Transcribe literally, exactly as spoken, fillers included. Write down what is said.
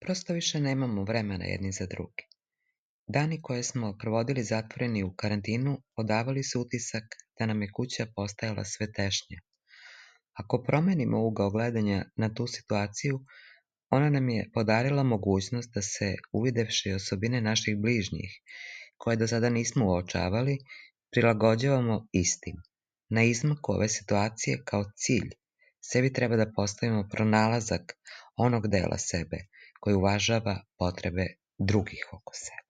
Prosto više nemamo vremena jedni za druge. Dani koje smo provodili zatvoreni u karantinu odavali su utisak da nam je kuća postajala sve tešnja. Ako promenimo ugao gledanja na tu situaciju, ona nam je podarila mogućnost da se, uvidevši osobine naših bližnjih, koje do sada nismo uočavali, prilagođavamo istim. Na izmaku ove situacije kao cilj sebi treba da postavimo pronalazak onog dela sebe koji uvažava potrebe drugih oko sebe.